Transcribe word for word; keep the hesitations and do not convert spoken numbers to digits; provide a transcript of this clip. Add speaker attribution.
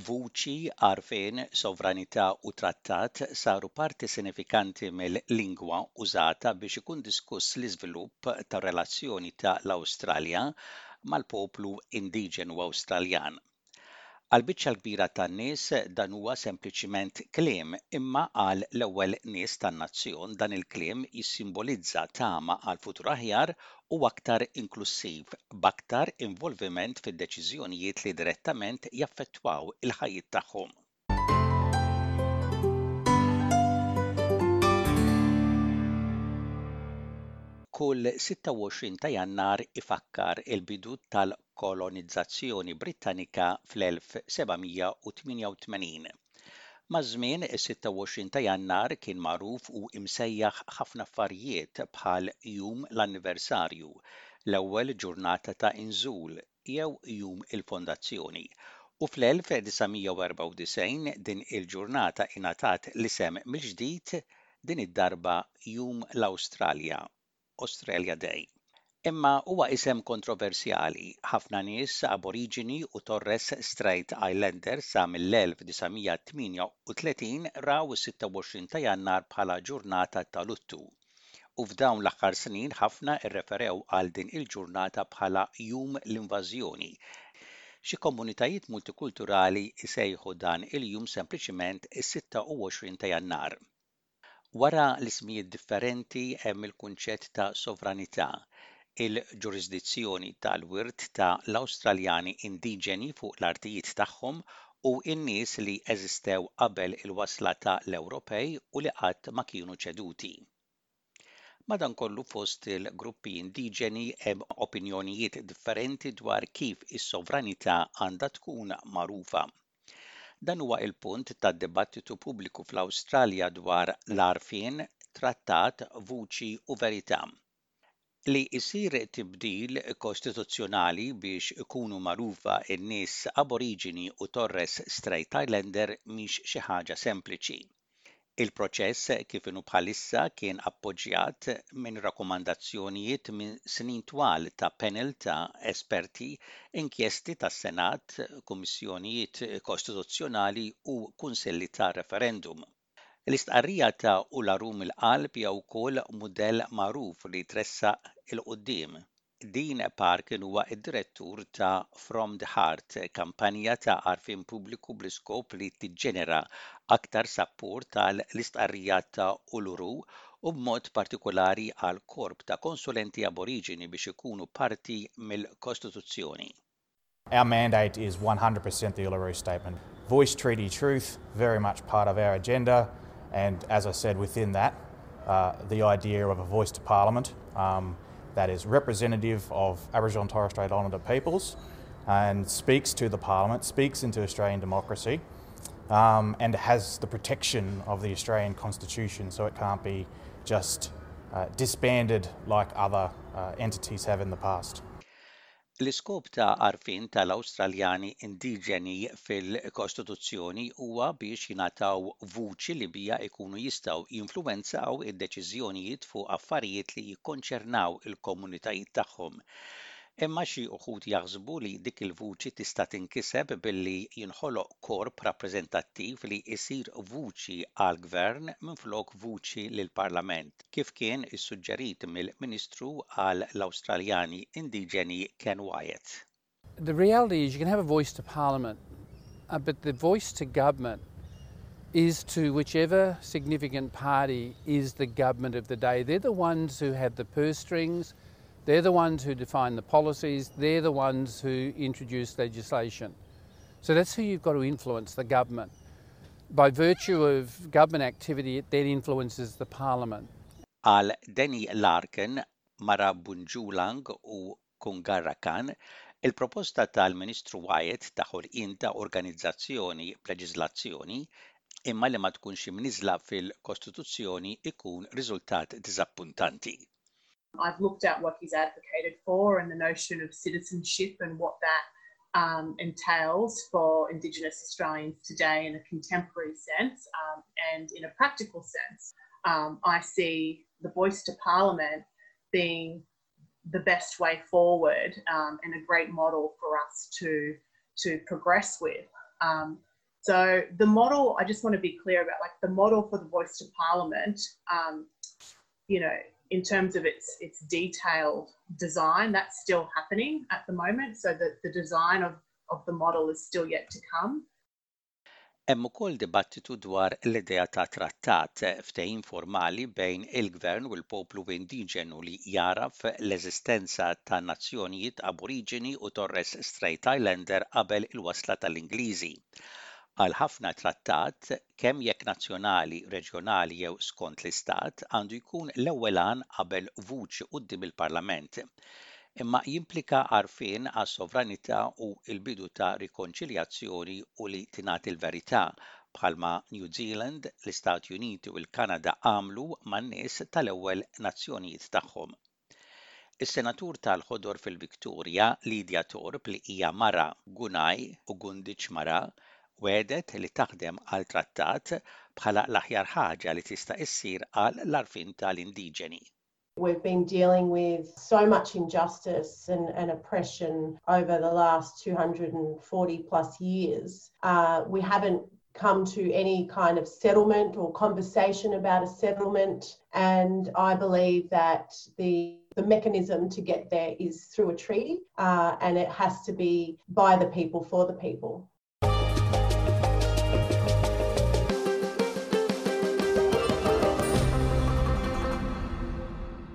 Speaker 1: Vuċi, għarfien, sovranità u trattat saru parti sinifikanti mill-lingwa użata biex ikun diskuss l-iżvilupp tar-relazzjoni ta' l-Awstralja mal-poplu indiġenu Awstraljan. Għall-biċċa l-kbira tan-nies dan huwa sempliċiment kliem, imma għal l-ewwel nies tan-nazzjon dan il-kliem jissimbolizza tama għal futur aħjar u aktar inklussiv, b'aktar involviment fid-deċiżjonijiet li direttament jaffettwaw il-ħajjiet tagħhom. Kull sitta u għoxrin ta' Jannar ifakkar il-bidu tal-kolonizzazzjoni Brittanika fl-elf seba' mija u tmienja u tmenin. Maż-żmien, is-sitta u għoxrin ta' Jannar kien magħruf u imsejjaħ ħafna affarijiet bħal Jum l-Anniversarju, l-ewwel ġurnata ta' inżul jew Jum il-Fondazzjoni. U fl-elf disa' mija u erbgħa u disgħin din il-ġurnata ingħatat l-isem mill-ġdid, din id-darba Jum l-Awstralja, Australia Day. Imma huwa isem kontroversjali. Ħafna nies Aboriġini u Torres Strait Islander sa mill-elf disa' mija tmienja u tletin raw is-sitta u għoxrin ta' Jannar bħala ġurnata ta' luttu. U f'dawn l-aħħar snin ħafna rreferew għal din il-ġurnata bħala Jum l-Invażjoni. Xi komunitajiet multikulturali jsejħu dan il-jum sempliċiment is-sitta u għoxrin ta' Jannar. Wara l-ismijiet differenti hemm il-kunċett ta' sovranità, il-ġurisdizzjoni tal-wirt ta' l-Awstraljani indiġeni fuq l-artijiet tagħhom u n-nies li eżistew qabel il-wasla ta' l-Ewropej u li qatt ma kienu ċeduti. Madankollu, fost il-gruppi indiġeni hemm opinjonijiet differenti dwar kif is-sovranità għandha tkun magħrufa. Dan huwa il-punt tad-dibattitu pubbliku fl-Awstralja dwar l-għarfien, trattat, vuċi u verità. Li jsir tibdil kostituzzjonali biex ikunu magħrufa n-nies Aboriġini u Torres Strait Islander mhix xi ħaġa sempliċi. Il-proċess kif inhu bħalissa kien appoġġjat minn rakkomandazzjonijiet minn snin twal ta' panel ta' esperti, inkjesti tas-Senat, kummissjonijiet kostituzzjonali u kunsilli ta' referendum. L-istqarrija ta' Uluru mill-qalb hija wkoll mudell magħruf li tressaq 'il quddiem. Dean Parkin huwa id-direttur ta' From the Heart, kampanja ta' għarfien pubbliku bl-iskop li tiġġenera aktar sapport tal-istqarrija ta' Uluru u b'mod partikolari għal korp ta' konsulenti Aboriġini biex ikunu parti mill-Kostituzzjoni.
Speaker 2: Our mandate is one hundred percent the Uluru Statement. Voice, Treaty, Truth, very much part of our agenda, and as I said, within that, uh, the idea of a voice to Parliament um, that is representative of Aboriginal and Torres Strait Islander peoples and speaks to the Parliament, speaks into Australian democracy, um, and has the protection of the Australian Constitution, so it can't be just uh, disbanded like other uh, entities have in the past.
Speaker 1: L-iskop ta' għarfien tal-Awstraljani indiġeni fil-Kostituzzjoni huwa biex jingħataw vuċi li bija jkunu jistgħu jinfluwenzaw id-deċiżjonijiet fuq affarijiet li jikkonċernaw il-komunitajiet tagħhom. Imma xi wħud jaħsbu li dik il-vuċi tista' tinkiseb billi jinħoloq korp rappreżentattiv li jsir vuċi għall-gvern minflok vuċi lill-Parlament, kif kien issuġġerit mill-Ministru għal l-Awstraljani Indiġeni Ken Wyatt.
Speaker 3: The reality is you can have a voice to Parliament, uh, but the voice to government is to whichever significant party is the government of the day. They're the ones who have the purse strings, they're the ones who define the policies, they're the ones who introduce legislation. So that's who you've got to influence, the government. By virtue of government activity, it then influences the parliament.
Speaker 1: Għal Danny Larkin, mara Bundjalung u Kungarakan, il-proposta tal-Ministru Wyatt ta' ħolqien ta' organizzazzjoni b'leġiżlazzjoni imma li ma tkunx imniżla fil-Kostituzzjoni ikun riżultat diżappuntanti.
Speaker 4: I've looked at what he's advocated for and the notion of citizenship and what that um, entails for Indigenous Australians today in a contemporary sense um, and in a practical sense. Um, I see the voice to Parliament being the best way forward um, and a great model for us to, to progress with. Um, So the model, I just want to be clear about, like, the model for the Voice to Parliament, um, you know, in terms of its its detailed design, that's still happening at the moment. So the, the design of, of the model is still yet to come.
Speaker 1: Hemm ukoll dibattitu dwar l-idea ta' trattat, ftehim formali bejn il-gvern u l-poplu indiġenu li jagħraf l-eżistenza ta' nazzjonijiet Aboriġini u Torres Strait Islander qabel il-wasla tal-Ingliżi. Għal ħafna, trattat, kemm jekk nazzjonali, reġjonali jew skont l-istat, għandu jkun l-ewwel qabel vuċi quddiem il-Parlament, imma jimplika għarfien għas-sovranità u l-bidu ta' rikonċiljazzjoni u li tingħati l-verità, bħalma New Zealand, l-Istati Uniti u l-Kanada għamlu man-nies tal-ewwel nazzjonijiet tagħhom. Is-senatur tal-Ħodor fil-Victoria, Lydia Thorpe, li hija mara Gunai u Gunditjmara, wegħdet li taħdem għal trattat bħala l-aħjar ħaġa li tista' issir għal l-għarfien tal-indiġeni.
Speaker 5: We've been dealing with so much injustice and, and oppression over the last two hundred forty plus years. Uh, we haven't come to any kind of settlement or conversation about a settlement. And I believe that the, the mechanism to get there is through a treaty uh, and it has to be by the people for the people.